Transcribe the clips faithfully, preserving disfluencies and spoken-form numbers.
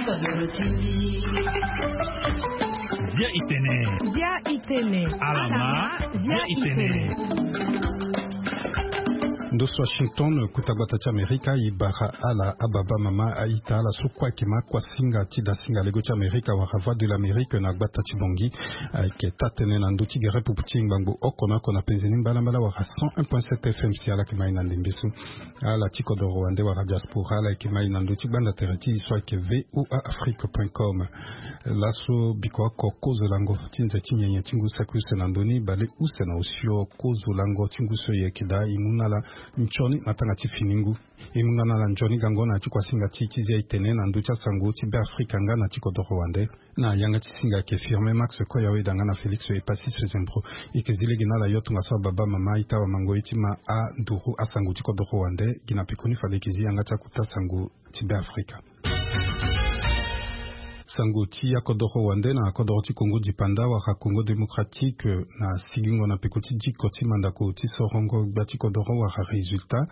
Bia itene. Bia itene. Alama. Bia itene. Ndo so Washington, kuta gbata ti Amerika, i bara ala ababa mama aita ala so kue ayeke ma kua singa ti da singa lego ti Amerika wala Voix de l'Amérique na gbata ti Bangui. Ayeke taa-tënë na ndö ti gere pupu ti ngbangbo oko na oko na penze ni mbalambala wala cent un point sept F M si ala yeke ma ye na ndembe so. Ala ti kodoro wande wala diaspora ala yeke ma ye na ndö ti gbanda tere ti e so ayeke V O A Afrique point com. Laso biko oko kozo lango ti nze ti nyenye ti ngu saki use na ndö ni bale use na osio kozo lango ti ngu so e yeke daa e mu na ala nzoni matanga ti fini ngu. E mu nga na ala nzoni gango na ya ti kuasinga ti e ti zia e tene na ndö ti asango ti Be Afrika nga na ti kodoro wande. Na yanga ti singa ayeke Firmin Max Koyawe da nga na Félix Epasis Zembro. E yeke zi lege na ala yo tongaso ababa mama ita wamango ye ti ma anduru asango ti kodoro wande. Gi na pekoni fade e yeke zi yanga ti akuta sango ti Be Afrika. Sango ti akodoro wande na kodoro ti Congo dipanda wala Congo démocratique, na sigingo na peko ti diko ti mandako ti sorongo gbia ti kodoro wala résultat.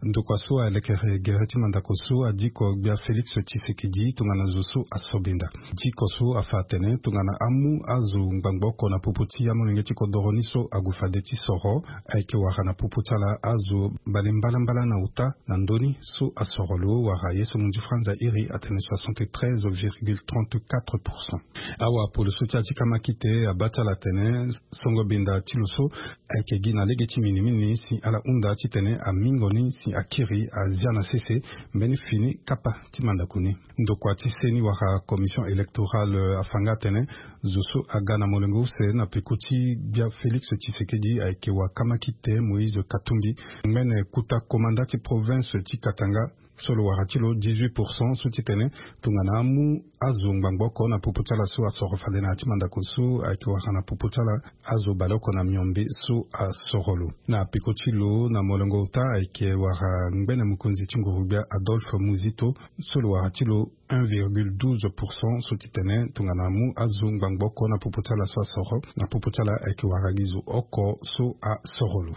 Ndokua so alekere gere ti mandako so adiko gbia Félix Tshisekedi tongana zo so asobenda. Diko so afa atene tongana amu azo ngbangbo oko na popo ti amolenge ti kodoro ni so ague fade ti soro, ayeke wara na popo ti ala azo bale mbalambala na ota na ndö ni so asoro lo wara ye so munzi franza iri atene soixante-treize virgule trente-quatre pour cent. Awa polo so ti ya ti kamakite abaa ti ala atene songo benda ti lo so ayeke gi na lege ti minimini si ala hunda titene amingo ni si akiri azia na sese mbeni fini kapa ti mandako ni. Ndokua ti seni wala commission électorale afa nga atene zo so aga na molenge use na peko ti gbia Félix Tshisekedi ayeke wa kamakite Moïse Katumbi, ngbene kuta komanda ti province ti Katanga, so lo wara ti lo dix-huit pour cent so titene tongana amu azo ngbangbo oko na popo ti ala so asoro fade na ya ti mandako so ayeke wara na popo ti ala azo baleoko na miombe so asoro lo. Na peko ti lo na molongo ota ayeke wara ngbene mokonzi ti nguru-gbia Adolphe Muzito, so lo wara ti lo un virgule douze pour cent so titene tongana amu azo ngbangbo oko na popo ti ala so asoro na popo ti ala ayeke wara gi zo oko so asoro lo.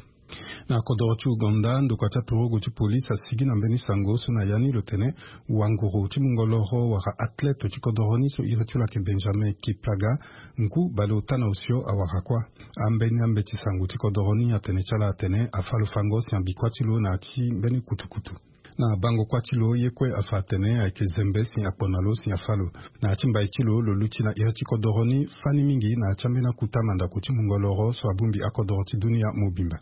Na kodoro ti Ouganda, ndokua ti aturugu ti polise asigi na mbeni sango so na ya ni lo tene wanguru ti mungo loro wala athlète ti kodoro ni so iri ti lo ayeke Benjamin Kiplaga, ngu baleota na osio awara kuâ. Ambeni ambeti sango ti kodoro ni atene ti ala atene afa lo fango si abikua ti lo na ya ti mbeni kutukutu. Na bango kuâ ti lo ye kue afa atene ayeke zembe si akpo na lo si afa lo. Na ya ti mbai ti lo, lo luti na iri ti kodoro ni fani mingi na ya ti ambeni akuta mandako ti mungo loro so abongbi akodoro ti dunia mobimba.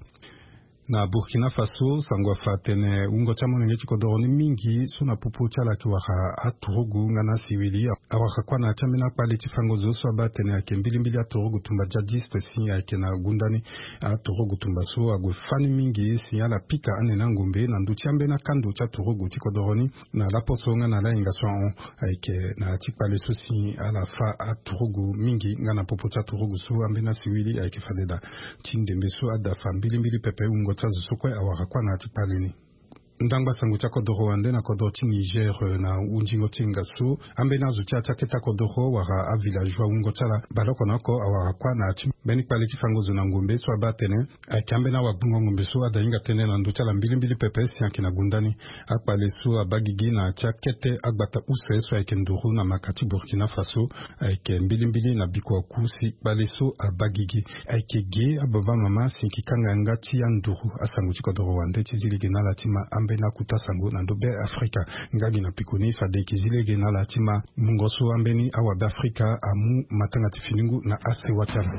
Na Burkina Faso, sango afa atene wungo ti amolenge ti kodoro ni mingi so na popo ti ala ayeke wara aturugu nga na asiwili awara kuâ na ya ti ambeni akpale ti fango zo so abaa atene ayeke mbilimbili aturugu tumba djihadiste si ayeke na gunda ni. Aturugu tumba so ague fani mingi si ala pika ane na ngombe na ndö ti ambeni akando ti aturugu ti kodoro ni. Na laposo nga na lahinga so ahon ayeke na ya ti kpale so si ala fa aturugu mingi nga na popo ti aturugu so ambeni asiwili ayeke fade daa. Ti ndembe so adafa mbilimbili pepe wungo ti azo so kue awara kuâ na ya ti kpale ni. Ndangba sango ti akodoro wande na kodoro ti Niger, eh, na hunzingo ti hinga so ambeni azo ti ya ti akete akodoro wala avillageois wungo ti ala baleoko na oko awara kuâ na ya ti mbeni kpale ti fango zo na ngombe so abaa atene ayeke ambeni awagbongo ngombe so ada hinga tënë na ndö ti ala mbilimbili pepe si ayeke na gunda ni. Akpale so abaa gigi na ya ti akete agbata use so ayeke nduru na maka ti Burkina Faso ayeke mbilimbili na bikua ku si kpale so abaa gigi. Ayeke ge ababa mama si e yeke kanga yanga ti anduru asango ti kodoro wande ti zi lege na ala ti ma ambeni akuta sango na ndö Be Afrika. Nga gi na pekoni fade e yeke zi lege na ala ti ma mungo so ambeni awa Be Afrika amu matanga ti fini ngu na asewa ti ala.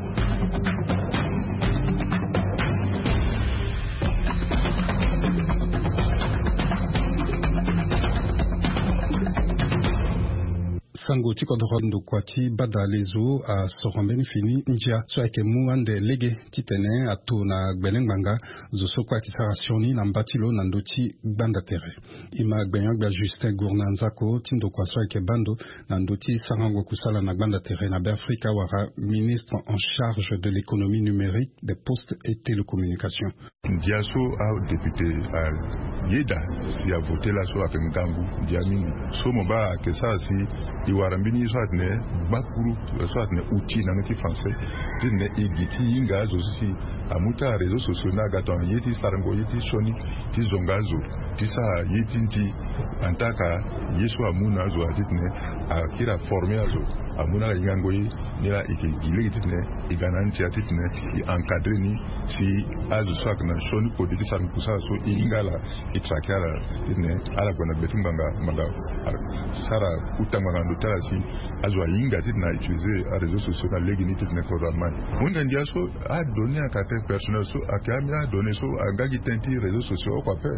Sango ti kodoro ndokua ti bada lezo asoro mbeni fini ndia so ayeke mu ande lege titene ato na gbele ngbanga zo so kue ayeke sara sioni na mba ti lo na ndö ti gbanda tere. E ma gbenyo-gbia Justin Gourna Nzako ti ndokua so ayeke baa ndo na ndö ti sarango kusala na gbanda tere na Be Afrika wala ministre en charge de l'économie numérique, des postes et télécommunications. Ndia so adéputé ayeda si avote laso ayeke ngangu ndia mingi. So mo baa ayeke sara si E wara mbeni ye so atene gbakuru so atene outil na ndö ti français, titene e gi ti hinga azo so si amu ti aréseaux sociaux ni aga tongana ye ti sarango ye ti sioni ti zonga azo ti sara ye ti nti. Antaka ye so amu na azo atitene akiri aforme azo amu na ala hingango ye. Nilaa e ke gi lege titene e ga na ntia titene e encadre ni si azo so ayeke na sioni kode ti sara ngu kusala so e hinga ala, e traquer ala titene ala gue na gbe ti ngbanga ngbanga. Sara kuta ngbanga na ndö ti ala si azo ahinga titene a utiliser aréseaux sociaux na lege ni titene kodro amai. Hunde ndia so adonnée ayeke ape personnel so ayeke ambeni adonnée so aga gi tënë ti réseaux sociaux oko ape.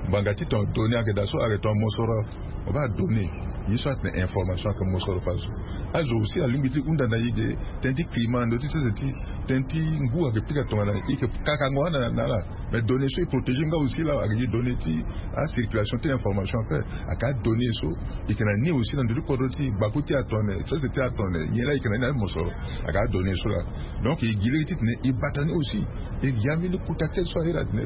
Ngbanga ti ton donnée ayeke daa so ayeke ton mosoro. Obaa donné ye so atene information ayeke mosoro fa so. Azo aussi alingbi ti hunda na e ge tënë ti climat na ndö ti sese ti tënë ti ngu ayeke pika tongana e yeke kakango anda na ala. Mais donné so e protéger nga aussi laa ayeke gi donné ti acirculation ti information ape. Ayeke adonnée so e yeke na ni aussi na ndö ti kodro ti gbaku ti atone sese ti atone nyen laa e yeke na ni na ni mosoro. Ayeke adonnée so laa. Donc e gi lege titene e bata ni aussi e gi ambeni kota kete so ahiri atene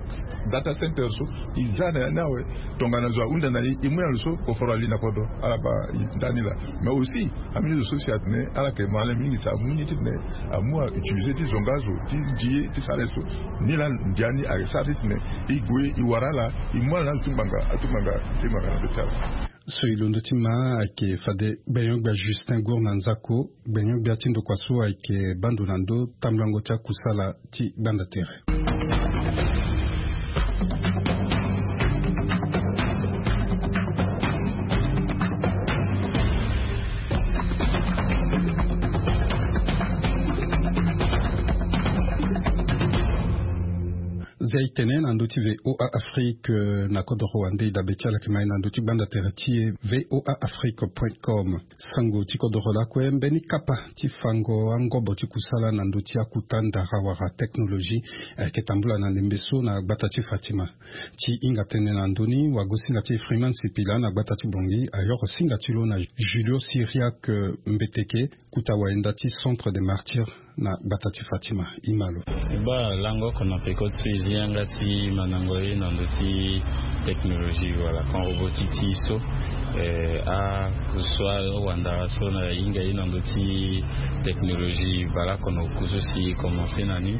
data center so e za na ya ni awe. Tongana zo ahunda na e e mu na lo so koforo ali na kodro ala baa e nda ni laa. Mais aussi ambeni zo so si atene ala yeke malin mingi si amu ni titene amu autiliser ti zonga azo ti ndi ye ti sara ye so. Ni laa ndia ni ayeke sara titene e gue e wara ala e mu ala na azo ti ngbanga ati ngbanga ti ngbanga na ndö ti ala. So e londo ti ma ayeke fade gbenyo-gbia Justin Gour na nzako. Gbenyo-gbia ti ndokua so ayeke baa ndo na ndö tambulango ti akusala ti gbanda tere. Zia e tene na ndö ti VOA Afrique na kodoro wande e dabe ti ala yeke ma e na ndö ti gbanda tere ti e. VOA Afrique point com. Sango ti kodoro lakue mbeni kapa ti fango angobo ti kusala na ndö ti akuta ndara wala technologie ayeke tambula na ndembe so na gbata ti Fatima. Ti hinga tënë na ndö ni wagosinga ti Freeman Sipila na gbata ti Bangui ayoro singa ti lo na Julio Syriac Mbeteke, kuta wayenda ti Centre des Martyrs na gbata ti Fatima. E ma lo. E baa lango oko na peko ti so e zi yanga ti mandango ye na ndö ti technologie wala kan robotique ti e so. Eh, a so awandara so na hinga ye na ndö ti technologie baleoko na oku so si e commencer na ni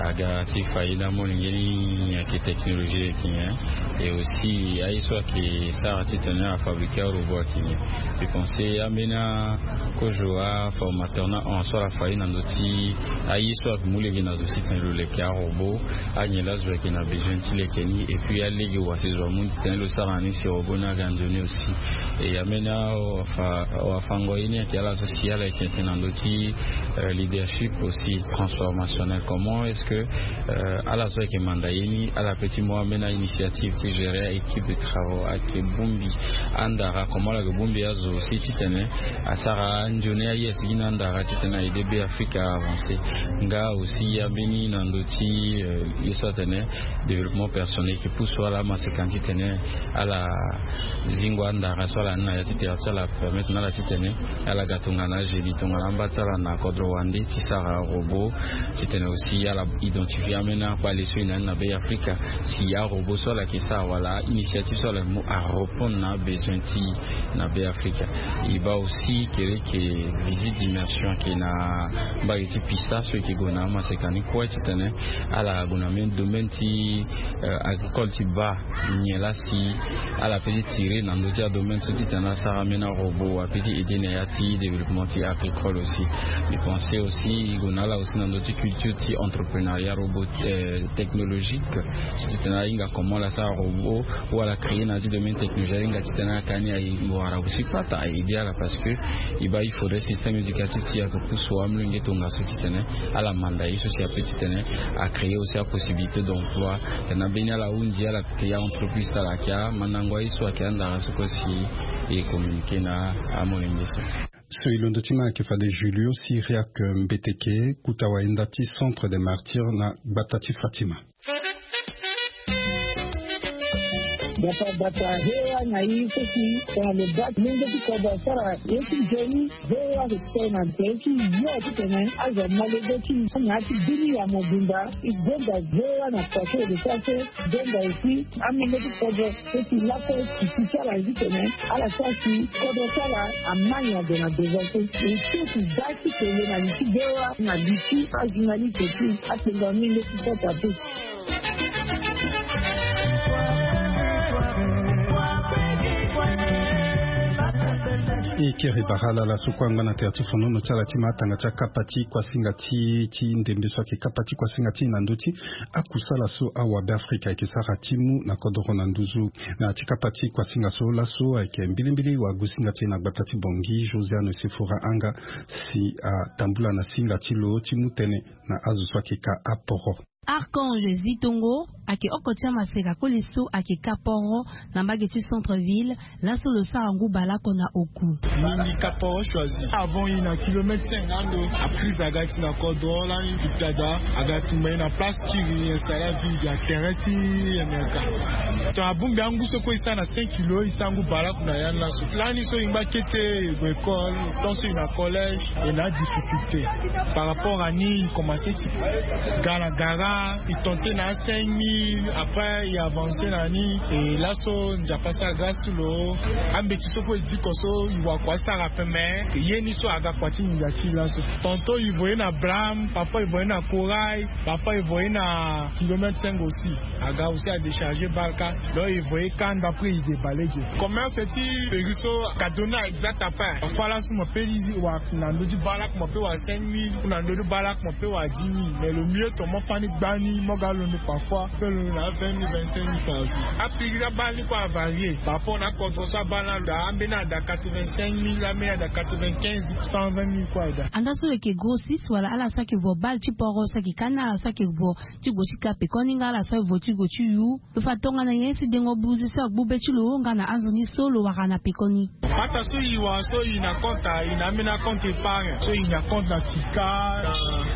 aga ti fa ye na amolenge ni nyen ayeke technologie ayeke nyen. Et aussi aye so ayeke sara titene afabriquer arobot ayeke nyen. Mbi pense ambeni akozo aformateur na hon so ala fa ye na ndö ti aye so ayeke mu lege na zo titene lo leke arobot. Anyen laa zo ayeke na besoin ti leke ni et puis alege wa si zo amu ni titene lo sara na ni si robot ni aga nzoni aussi. Et ambeni awafango ye ni ayeke ala so si ala yeke tene na ndö ti leadership aussi transformationnel. Comment est-ce que ala so ayeke manda ye ni ala peut ti mu ambeni ainitiative ti gérer équipe de travaux ayeke bongbi andara comment ala yeke bongbi azo aussi titene asara anzoni aye asigi na andara titene a aider Be Afrika a avancer. Nga aussi ambeni na ndö ti ye so atene développement personnel yeke pousse ala amaseka titene ala zingo andara so ala ni na ya ti tere ti ala permettre na ala titene ala ga tongana agénie tongana amba ti ala na kodro wande ti sara robot titene aussi ala identifier ambeni akpale so e na ni na Be Afrika si arobot so ala yeke sara wala ainitiative so ala yeke mu arépondre na abesoin ti e na Be Afrika. E baa aussi kere yeke visite d'immersion ayeke na mbage ti Pisa so e yeke gue na amaseka ni kue titene ala gue na même domaine ti agricole ti baa nyen laa si ala peut ti tirer na ndö ti adomaine so titene asara ambeni arobot ape ti aider na ya ti développement ti agricole aussi. Mbi pense aussi e gue na ala aussi na ndö ti culture ti entreprenariat robot technologique so titene ahinga comment ala sara robot ou ala créer na ya ti domaine technologie ahinga titene aka ni aye wara aussi kpata a aider ala parce que e baa il faudrait système éducatif ti e ayeke pousse amolenge tongaso titene ala manda ye so si ape titene a créer aussi apossibilité d'emploi. Tena mbeni ala hundi ala créer aentreprise ti ala ayeke amandango aye so ayeke andara so kue si e communiquer na amolenge so. So e londo ti ma ayeke fade Julio Syriac Mbeteke, kuta wayenda ti Centre des Martyrs na gbata ti Fatima. Bata bata hewa na i so si tongana lo baa lenge ti kodro asara ye ti nzoni. Hewa so ti tene na nzoni ti yo ti tene azo molege ti na ya ti bini ya mobimba. I gonga hewa na pase de sa so gonga aussi amenge ti kodro so si laso si ti ti ala ye ti tene ala sa si kodro ti ala amani ado na devant so. E so si baa ti tene na li ti hewa na li ti ajournaliste ti apenga mingi ti kota pe. E kiri bara ala ala so kue angba na tere ti fonono ti ala ti ma atanga ti akapa ti kuasinga ti ti ndembe so ayeke kapa ti kuasinga ti e na ndö ti akusala so awabe afrika ayeke sara ti mu na kodoro na nduzu. Na ya ti kapa ti kuasinga so laso ayeke mbilimbili wagosinga ti e na gbata ti bongi josiane sefora anga si atambula na singa ti lo ti mu tënë na azo so ayeke ka aporo. Archange Zitongo ayeke oko ti amaseka koli so ayeke ka poro na mbage ti centre ville. Laso lo sara ngu baleoko na oku. Mingi ka poro choisi avant i na kilomètre cinq na ando. Aprise aga ti na kodro lani dada aga tumba i na place ti ri installa vide ya terrain ti mrk. To abongbi angu so kue i sara na cinq kilo i sara ngu baleoko na ya ni laso. Lani so i ngba kete i gue école tant so i na collège. E na adifficulté par rapport à ni i commencé ti ga na gara i tente na a cinq mille après i avancé na ni. E laso nzapa asara grâce ti lo. Ambeti so kue e diko so i wakua asara peme. Ye ni so aga kua ti nginza ti i laso. Tanto i voye na blame parfois i voye na corail. Parfois i voye na kilomètre cinq aussi. Aga aussi adécharger bale kâ. Donc i voye kanda après i débale ge. Commerce ti peri so aga donner exact après parfois laso mo pe li wa na ndö ti bale ako mo pe wa cinq mille ou na ndö ti bale ako mo pe wa dix mille mais le mieux to mo fani gbani mo ga londo parfois pe londo na vingt mille vingt cinq mille par jour. Apiri ti abale ni kue avarier par rapport na acontre so abale ni alo daa ambeni ada quatre vingt cinq mille ambeni ada quatre vingt quinze mille cent vingt mille kue ada. Anda so lo yeke grossiste wala ala so ayeke vo bale ti poro so ayeke ka na ala so ayeke vo ti gue ti ka pekoni nga ala so aye vo ti gue ti yu. Lo fa tongana nyen si dengo buze so agbu be ti lo nga na azo ni so lo wara na pekoni. Pata so i wara so i na compte i na ambeni acompte épargne so i na compte na fica na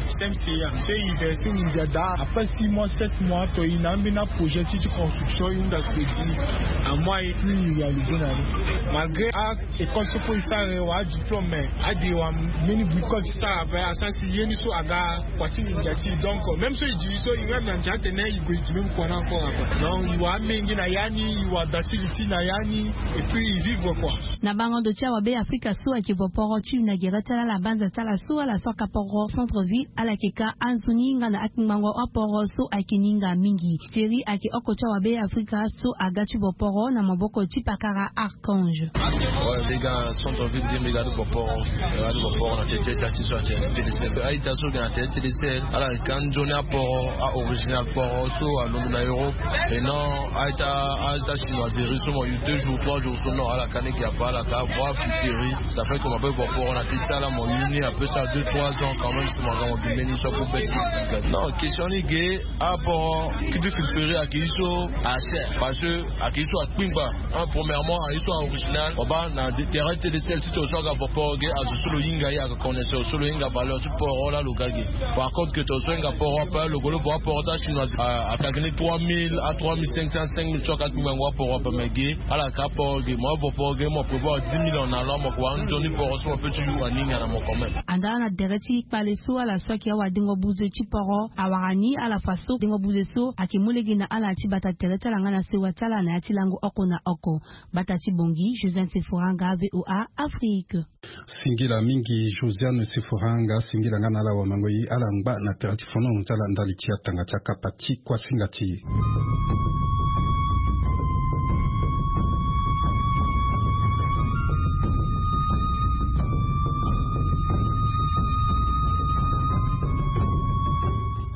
cmca so i verse ni ndia daa après six mois sept mois to i na ambeni aprojet ti ti construction i hunda crédit. Amois e plus i réalisé na ni malgré a école so kue i sara e wara adiplôme mais adi wara mbeni bricole ti sara ape asara si ye ni so aga kua ti nginza ti i donc même so i diri so i rêve na ndia atene i gue i di même kua ni encore ape. Donc i wara amenge na ya ni i wara da ti li ti na ya ni. Et puis i vivre kua. Na bango ndo ti awabe afrika so ayeke vo poro ti inaugurer ti ala na banza ti ala so ala so aka poro centre ville ala yeke ka anzoni nga na akpingbango aporo so ayeke ninga mingi. Thierry ayeke oko ti awabe afrika so aga ti vo poro na maboko ti pakara archange. Mbi ga na centre ville ge mbi ga ti vo poro. Mbi ga ti vo poro na tete ti ati so ati tete sel aita so ge na tete tete sel ala ka nzoni aporo a original poro so alondo na europe. Et non aita aita chinoiserie so mo yu deux jours trois jours so non ala ka ni gi apa ala ka voir fiteri. Ça fait que mo be vo poro na tete ti ala mo yu ni apesa deux trois ans quand même si mo ga mo gi mbeni so apo be ti. Non question ni ge. Aporo ki ti filtrer ayeke ye so acher parce que ayeke ye so akpingba. Premièrement ayeke ye so a original mo baa na terrain ti tete sel si to so aga vo poro ge azo so lo hinga ye aga connaisseur so lo hinga valeur ti poro laa lo ga ge. Par contre ke to so hinga poro ape lo gue lo vo aporo ti achinois. Ayeke ni trois mille a trois mille cinq cents cinq mille so aka kpingbango aporo ape me ge. Ala ka poro ge mo avo poro ge mo prévoir dix mille en allant mo kua nzoni poro so mo pe ti yu aninga na mo quand même. Andaa na dere ti kpale so ala so ayeke awadengo buze ti poro awara ni ala fa so dengo buze so ayeke mu lege na ala ti bata tere ti ala nga na sewa ti ala na ya ti lango oko na oko. Bata ti bongi josiane sefora nga voa afrique. Singila mingi josiane sefora nga singila nga na ala wamango ye ala ngba na tere ti fonono ti ala ndali ti atanga ti akapa ti kuasinga ti e.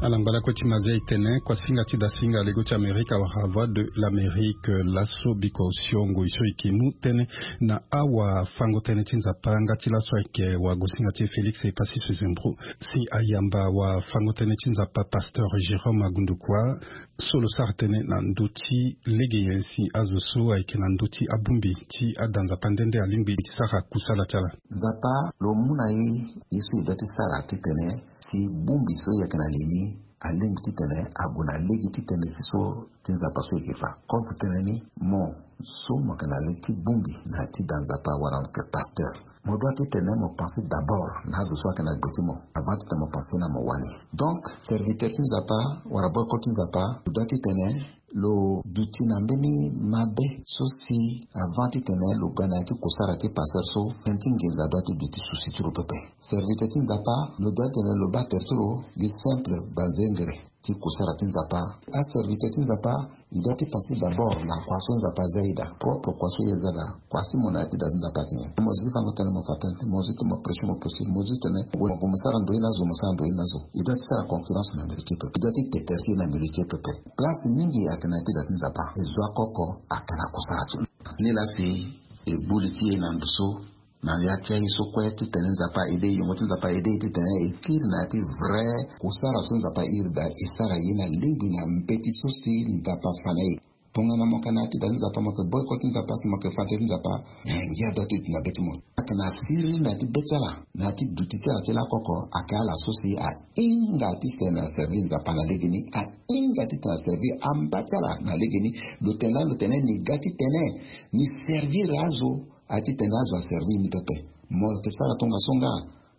Ala ngba lakue ti mazia e tene kuasinga ti dasinga lego ti amerika wala voix de l'amérique laso biko osio ngoi so e ke mu tënë na awafango-tënë ti nzapa nga ti laso ayeke wagosinga ti e félix e pasi sezembro si ayamba wafango-tënë ti nzapa pasteur jérôme agundukua so lo sara tënë na ndö ti lege nyen si azo so ayeke na ndö ti abongbi ti ada nzapa nde nde alingbi ti sara kusala ti ala. Nzapa lo mu na e ye so e doit ti sara titene si bongbi so e yeke na li ni alingbi titene ague na lege ti tënë si so ti Nzapa so e yeke fa. Kozo tënë ni, mo so mo yeke na lege ti bongbi na ya ti da Nzapa wala mo yeke pasteur, mo doit titene mo pense d'abord na azo so ayeke na gbe ti mo avant titene mo pense na mo wali. Donc, serviteur ti Nzapa wala boyekol ti Nzapa, lo doit titene lo duti na mbeni mabe so si avant titene lo ga na ya ti kusara ti pasteur so, tënë ti nginza doit ti duti souci ti lo pepe. Serviteur ti Nzapa, lo doit titene lo baa tere ti lo gi simple banzengere ti kusara ti Nzapa. Aserviteur ti Nzapa, e doit ti pense d'abord na kua so Nzapa aza e daa, propre kua so e za daa, kua si mo na ya ti da ti Nzapa ayeke nyen. Mo zi fango tënë, mo fa tënë, mo zi titene mo prêcher, mo prêcher, mo zi titene mo gue mo sara ndo ye na zo, mo sara ndo ye na zo. E doit ti sara concurrence na milieu ti e pepe, e doit ti te tere ti e na milieu ti e pepe. Place mingi ayeke na ya ti da ti Nzapa, e zo akoko ayeke na kusara ti lo. Nilaa si e gbu li ti e na ndo so na ya ti aye so kue titene Nzapa aide e, yongo ti Nzapa aide e titene e kiri na ya ti vrai kusara so Nzapa airi daa, e sara ye na lingbi na mbeti so si Nzapa afa na e. Tongana mo yeke na ya ti da ti Nzapa, mo yeke boyekol ti Nzapa, si mo yeke fa tënë ti Nzapa, na ngia doit ti duti na be ti mo. Ayeke na siriri na ya ti be ti ala, na ya ti duti ti ala ti lakoko, ayeke ala so si ahinga titene aservi Nzapa na legeni, ahinga titene aservi amba ti ala na legeni. Lo tene laa, lo tene ni ga titene ni servir azo, aye titene azo aservi ni pepe. Mo yeke sara tongaso nga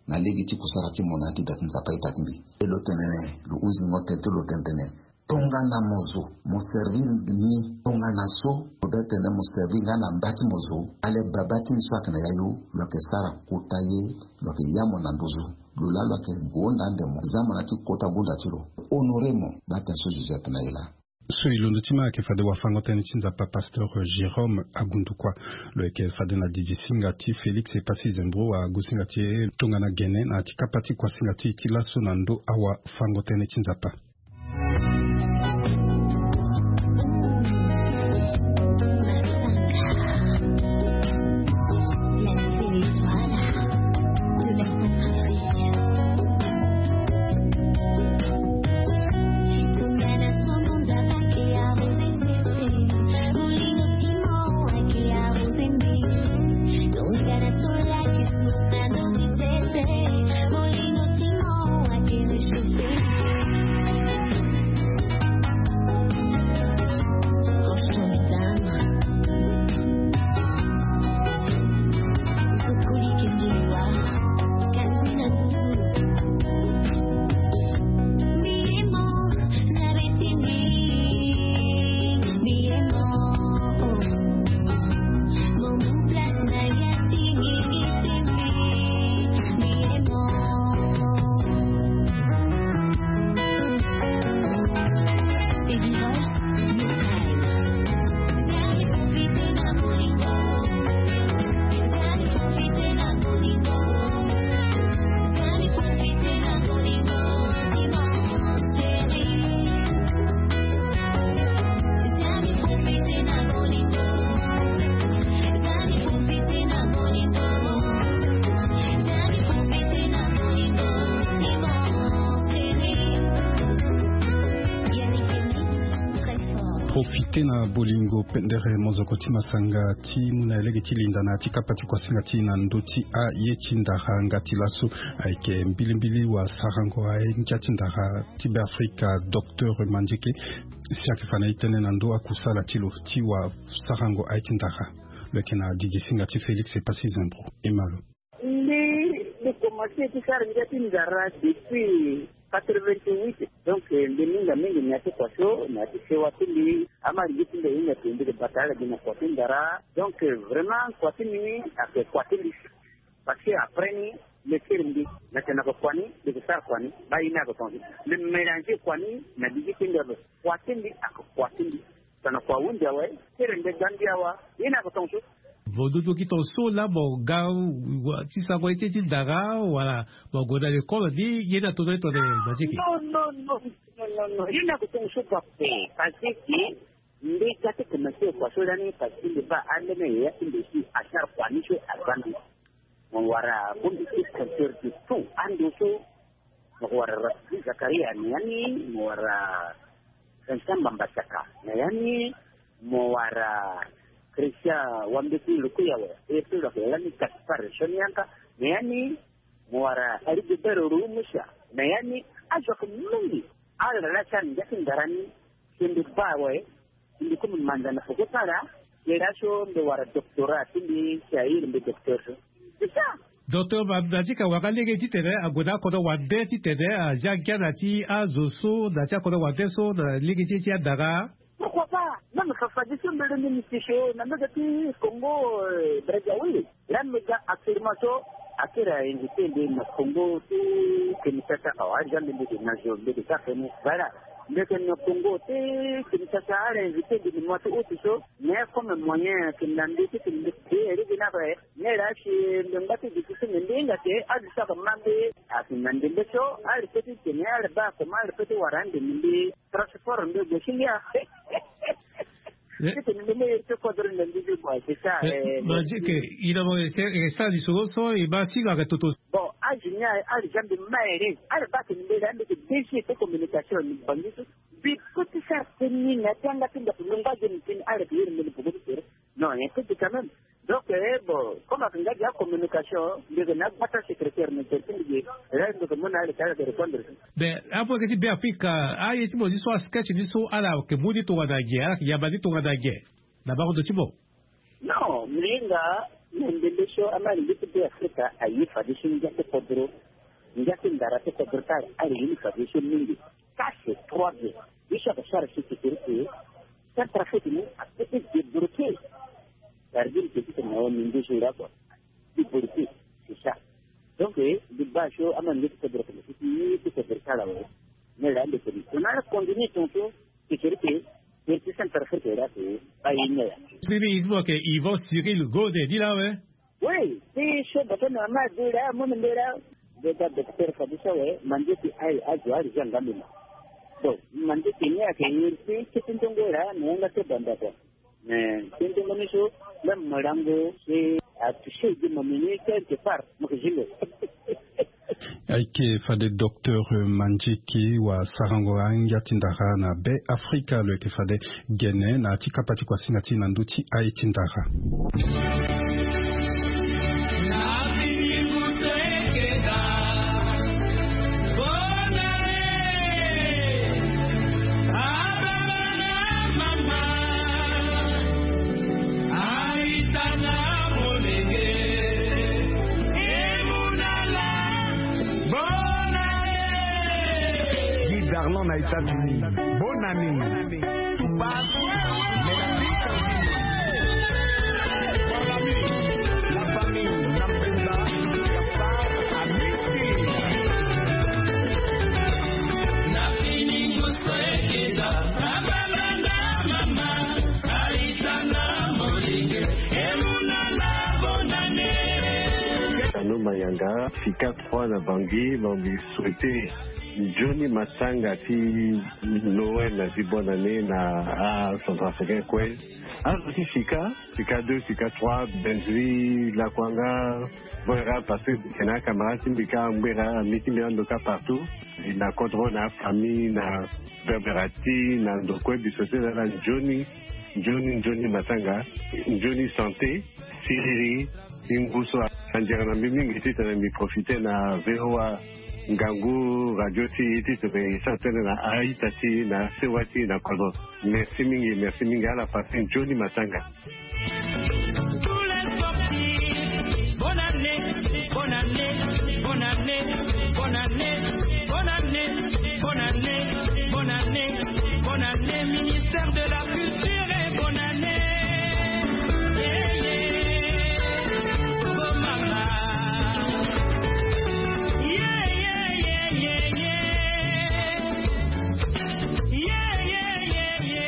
na lege ti kusara ti mo na ya ti da ti Nzapa ita ti mbi. E lo tene lo hunzingo tene ti lo tene tene, tongana mo zo mo servir ni, tongana so lo be tene mo servir nga na mba ti mo zo, ale Baba ti mbi so ayeke na yayu, lo yeke sara kota ye, lo yeke ya mo na nduzu. Lo laa lo yeke gonda ande mo, za mo na ya ti kota gunda ti lo, honorer mo. Baa tene so Jésus atene na e laa. So e londo ti ma ayeke fade wafango-tënë ti Nzapa, pasteur Jérôme Agundukua. Lo yeke fade na didi singa ti Félix Epassi Zembro, agu singa ti e tongana gene na ya ti kapa ti kuasinga ti e ti laso na ndo awafango-tënë ti Nzapa. Profite na bolingo pendere mozoko ti masanga ti mu na ya lege ti linda na ya ti kapa ti kuasinga ti e na ndö ti aye ti ndara nga ti laso. Ayeke mbilimbili wasarango aye ngia ti ndara ti Beafrika, docteur Mandieke, si ayeke fa na e tënë na ndö akusala ti lo ti wasarango aye ti ndara. Lo yeke na didi singa ti Félix Epassi Zembro. E ma lo. Mbi, mbi komanse ti sara ngia ti ndara depuis quatre-vingt-huit. Donc, eh, mbi hinga mingi na ya ti kua so, na ya ti sewa ti mbi. Ama lege ti mbi ahinga ti mbi ke bata ala gi na kua ti ndara. Donc, eh, vraiment, kua ti mbi ayeke kua ti mbi. Parce que après ni, mbi kiri mbi, mbi yeke na kua ni, mbi yeke sara kua ni, baa ye ni ayeke tongaso. Mbi mélanger kua ni na lege ti mbi ape. Kua ti mbi ayeke kua ti mbi. Tongana kua ahunzi awe, kiri mbi ga mbi awa, ye ni ayeke tongaso. Mo dutu ki tongaso laa mo ga, wa, ti sango ye ti, ti ndara, wala mo gue na lekole ni, ye ni atono ye tongana Mandieke? Non, non, non, non, non, non. Ye ni ayeke tongaso papa. Parce que mbi ga ti komanse kua so lani, parce que mbi baa alene yaya ti mbi si asara kua ni so aza mbi. Mo wara bongbi ti compteur de tout. Ando so, mo wara Rafiki Zakaria na ya ni, mo wara Vincent Mbamba Saka na ya ni, mo wara Christian Wambeti Lukuyawe, e pe lo yeke lani Gaspard Sonianka na ya ni, mo wara Rigobert Rumusa na ya ni, azo ayeke mingi. Ala la ti ala ngia ti ndara ni. Si mbi baa awe, si mbi komi manza na poko ti ala. Kere aso mbi wara doctorat ti mbi si ahiri mbi docteur so. C'est ça. Docteur, ma na ti ka wara lege titene ague na akodro wande titene azia ngia na ti azo so na ti akodro wande so na lege ti e ti adara. Pourquoi pas? Même fafadeso mbele ni mbi ti so na mbege ti Congo, Brazzaville. Là mbi ga actuellement so akiri a invité mbi na Congo ti Kinshasa awa, aza mbi mbi de na zo mbi de ka feni. Voilà. Mbi ke na Congo ti Kinshasa, ala invité mbi ni mois ti août so. Mais comme moyen ke na mbi ti ke mbi ti eri gi na bre. Mais là si mbi ngba ti difficile mbi hinga ke azo so ake ma mbi. Ake na ndembe so ala pe ti tene ala baa comment ala pe ti wara ande mbi. Transport nde gue si ngia. Titene nde me iri ti kodro nde mbi bi boi c'est ça. Manzi ke ina mo resta lisoro so e ma si lo ake toto. Bon azo ni ala ja mbi ma ere ala baa tene mbi la mbi ke désier ti communication ni bangi so. Mbi peut ti faire teni na ti anga ti ndaku lo ngba ge ni teni ala ke iri mbi ni poko ti tere. Non, un peu quand même. Donc eh bon, comme ake nga dia communication mbi ke na gbata secrétaire ni tere ti mbi ge. Là mbi ke mu na ala ti ala ke répondre. Mais apo eke ti Be Afrika, aye ti mo ni so asketch ni so ala ke mu ni tongana ge, ala ke yamba ni tongana ge na bango ndo ti mo? Non, mbi hinga na ndembe so ama alingbi ti Be Afrika aye fadeso ngia ti kodro. Ngia ti ndara ti kodro ti ala ala ye ni fadeso mingi. Ça c'est trois bien. Ye so ake sara si ti kiri ti Centrafrique ni ape ti débloquer. Gardien ke ti tene na wa mingi so ira kua. Ti bori ti c'est ça. Donc eh mbi baa so ama nge ti kodro kene ti ti ti kodro ti ala awe. Mais là mbi tene tongana ala continue tongaso ti kiri ti ti Centrafrique ira ti baa ye ni ala. Siri i ti mo ke Yvon Cyril Gode ni la awe. Oui ti so bata na ama adu la amu ni mbela. Mbi ga docteur fadeso awe manze ti aye azo ala zia nga mbi ma. Bon manze ti ni ake iri ti keti ndongo la na yanga ti banda kua. Mais tënë ti mo ni so même mo lango si atoucher gi mo mini quelque part mo ke zi lo. Ayeke fade docteur Mandieke wa sarango angia ti ndara na Be Afrika lo yeke fade gene na ya ti kapa ti kuasinga ti na ndö ti aye ti ndara. Guy Darlan na États-Unis. Bonne année. Tano Mayanga, Fika trois na Bangui, donc mbi souhaiter Johnny Matanga ti Noël na ti bonne année na acentrafricain kue. Azo ti Fika, Fika deux, Fika trois, Benzui, Lakuanga, Boera, parce que mbi yeke na acamarade ti mbi kâ Ngbera, ami ti mbi ando kâ partout. Na kodro na afamille na Berbera ti na ndo kue, mbi souhaiter na ala nzoni, nzoni, nzoni matanga, nzoni santé. Siriri. Ti ngu so anzere na mbi mingi titene mbi profiter na VOA ngangu radio ti e titene e sara tënë na a-ita ti e na sewa ti e na kodro. Merci mingi, merci mingi, ala passe nzoni matanga. Bonne année, bonne année, bonne année, bonne année, bonne année, bonne année, bonne année, bonne année, ministère de la culture et bonne année.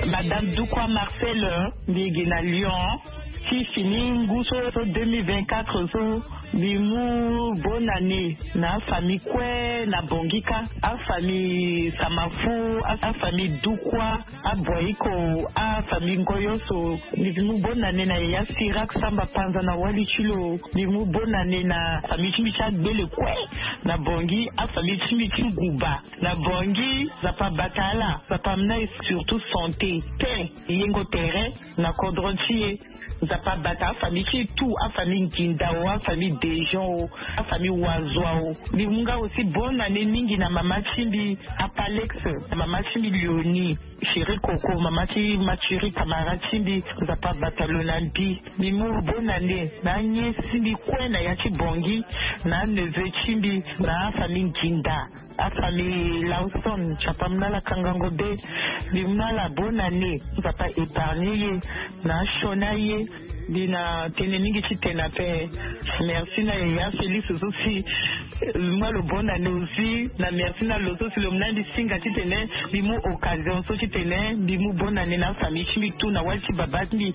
Madame Dukwa Marcel, mbi gi na Lyon. Ti fini ngu so so deux mille vingt-quatre so, mbi mu bonne année na afamille kue na Bangui kâ, afamille Samafo, afamille Dukwa, Aboiko, afamille Ngoyoso. Mbi mu bonne année na yaya Sirak Samba Panza na wali ti lo. Mbi mu bonne année na famille ti mbi ti agbele kue. Na Bangui afamille ti mbi ti nguba. Na Bangui Nzapa abata ala, Nzapa amena e surtout santé, paix, yengo tere na kodro ti e. Nzapa abata afamille ti e tout, afamille Nginda o, afamille Dejean o, afamille Wazoa o. Mbi mu nga aussi bonne année mingi na mama ti mbi Apalex, na mama ti mbi Léonie, Chérie Coco, mama ti Mathurie, camarade ti mbi. Nzapa abata lo na mbi. Mbi mu bonne année na aniese ti mbi kue na ya ti Bangui, na aneveu ti mbi, na afamille Nginda, afamille Lawson, Nzapa amena ala kangango be. Mbi mu na ala bonne année, Nzapa épargne ye na asioni aye. Mbi na tënë mingi titene ape. Merci na yaya Félix so si, eh, mbi mu na lo bonne année aussi, na merci na lo so si lo mu na mbi singa titene mbi mu occasion so titene mbi mu bonne année na afamille ti mbi tout, na wali ti baba ti mbi,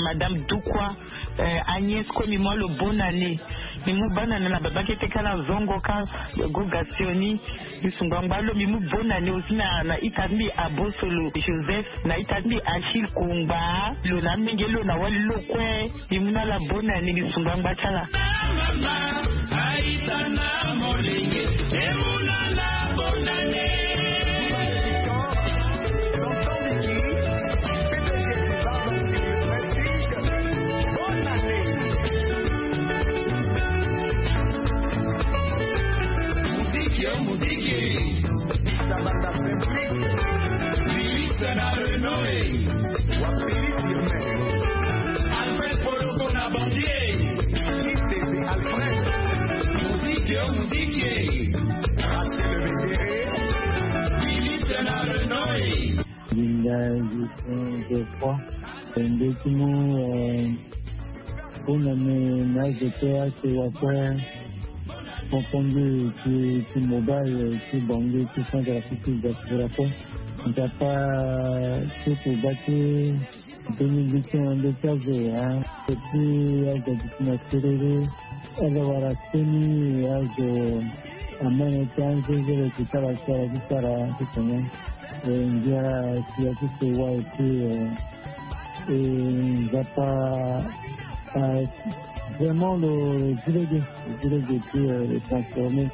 Madame Dukwa, eh, Agnès kue. Mbi mu na lo bonne année. Mbi mu bonne année na baba kete kâ na zongo kâ, Goga Sioni. Mbi sungba ngba lo. Mbi mu bonne année aussi na, na ita ti mbi Abosolo Joseph, na ita ti mbi Achille Kungba, lo na amenge lo na wali lo kue. Mbi mu na ala bonne année, mbi sungba ngba ti ala. Muziki yo muziki. Sabanda Fabrice. Felix na Renoe. Wapiri Firmin. Alfred Poloko na Bandier. Kitete Alfred. Muziki yo muziki. Rachel Bekere. Felix na Renoe. Linda Justin Geoffroy. Ndeti mu, eh, Bonne année na azo kue ake wa kue. Konkonde ti, ti mobile, ti Bangui, ti Centrafrique, ti diaspora kue. Nzapa ti kuba ti deux mille vingt et un, ndeti azo, hein. Ti azo duti na serere. Ala wara seni azo amene ti anzenzele ti sara sara ti sara ti tene. E ngia ti ya ti sewa et puis, euh, e Nzapa, euh, vraiment lo zi lege, lo zi lege ti, euh, transformé.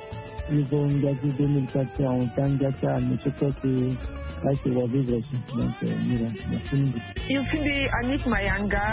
Ivo ngia ti deux mille quatre ti ahon ti angia ti ame ti kue ti ake wa vivre ti. Donc, euh, mira, merci mingi. Yo ti mbi Annick Mayanga,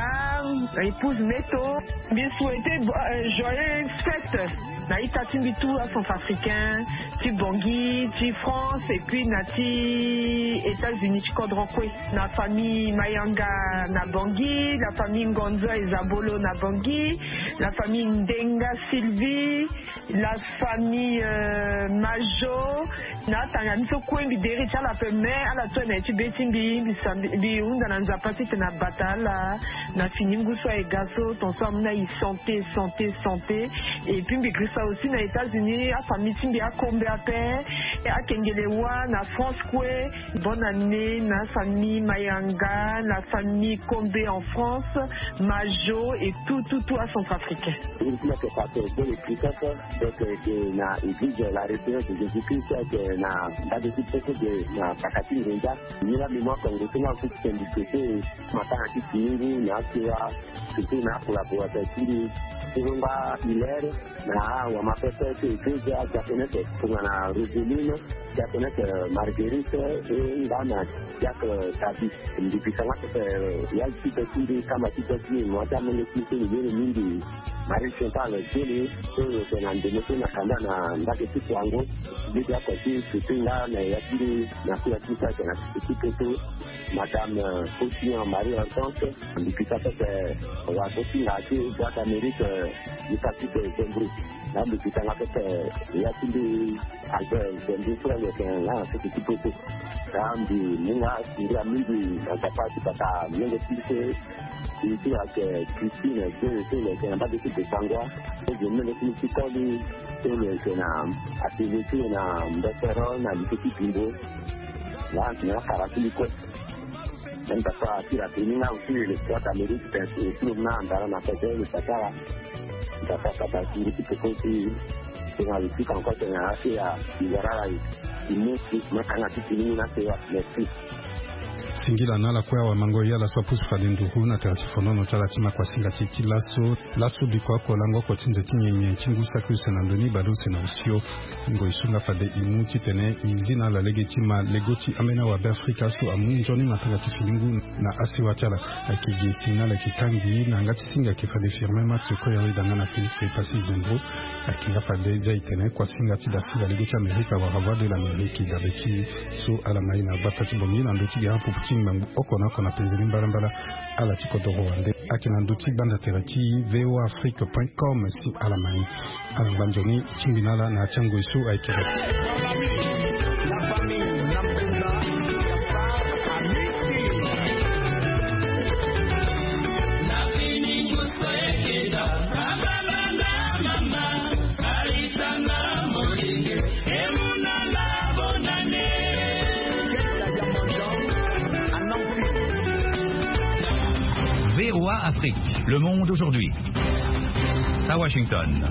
épouse Neto. Mbi souhaiter bo-, euh, joyeuses fêtes na ita ti mbi tout acentrafricain, ti Bangui, ti France, et puis na ti États-Unis ti kodro kue. Na famille Mayanga na Bangui, la famille Ngonzo et Zabolo na Bangui, la famille Ndenga Sylvie, la famille, euh, Majo, na atanga ni so kue mbi deri ti ala ape, mais ala to na ye ti be ti mbi, mbi sa-, mbi, mbi hunda na Nzapa titene abata ala na fini ngu so aye ga so, ton so amu na e santé, santé, santé. Et puis mbi girisa aussi na États-Unis, afamille ti mbi akombe ape, akengele wa na France kue. Bonne année na famille Mayanga, na famille Kombe en France, Majo et tout, tout, tout acentrafricain. Iri ti mbi ayeke Pasteur Bele Christophe, donc, euh, ayeke na église La Résurrection de Jésus-Christ, ayeke na mbage ti Popo de na paka ti Ngonza. Ni laa mbi mu akongo ti nga aussi ti tene mbi souhaiter matanga ti fini ngu na asewa, surtout na acollaborateur ti mbi, ti Longa Hilaire, na awamapepe ti église, diaconesse tongana Roseline, diaconesse Marguerite, e nga na diacre David. Mbi bikanga pepe, euh, ya ti be ti mbi, kamba ti be ti mbi, mo ti amolenge ti mbi so lo yere mingi, Marie Chantal Diele, so lo yeke na ndembe so na kanda na mbage ti Kouango. Mbi bia oko ti surtout nga na ya ti mbi na kula ti mbi so ayeke na ti poto, Madame, euh, Faucillon Marie Hortense. Mbi bikanga pepe, euh, wa so ti nga ti Boîte d'Amérique, euh, Lucas ti Be Zembro. Na mbi bikanga pepe, euh, ya ti mbi Albert Zembro so ayeke nga na sese ti poto. Na mbi mu nga singira mingi na Nzapa ti bata molenge ti mbi so, e ti ayeke Christine Zembro so lo yeke na mbage ti Besangoa. So mbi mu molenge ti mbi ti koli so lo yeke na atelier ti lo na Mbetero na lycée ti Bimbo. Laa na akara ti mbi kue. Même papa ti la teni nga aussi le trois d'Amérique, c'est aussi le na andara na pete le patara. Papa papa ti ti poko ti na le ti kanko ti na asia. Ngara la. Imusi makanga ti tini na sewa. Merci. Singila na ala kue awamango ya ala so apusu fade nduru na tere ti fonono ti ala ti ma kuasinga ti ti laso laso biko oko lango oko ti nze ti nyenye ti ngu saki use na ndoni baleuse na osio. Ngoi so nga fade e mu titene e zi na ala lege ti ma lego ti ambeni awabe afrika so amu nzoni matanga ti fini ngu na asiwa ti ala. Ayeke gi e si na ala yeke kangi na yanga ti singa ayeke fade firme max koyori danga na félix epassi zembro. Ayeke nga fade za e tene kuasinga ti dasinga lego ti amerika wala voie de l'amérique dabe ti so ala ma e na gbata ti bongi na ndö ti gere apupu ti ngbangbu oko na oko na penze ni mbalambala. Ala ti kodoro wande ayeke na ndö ti gbanda tere ti voa afrique point com si ala ma e. Ala ngba nzoni e tingbi na ala na ya ti ango e so ayeke. Voa Afrique, le monde aujourd'hui. À Washington.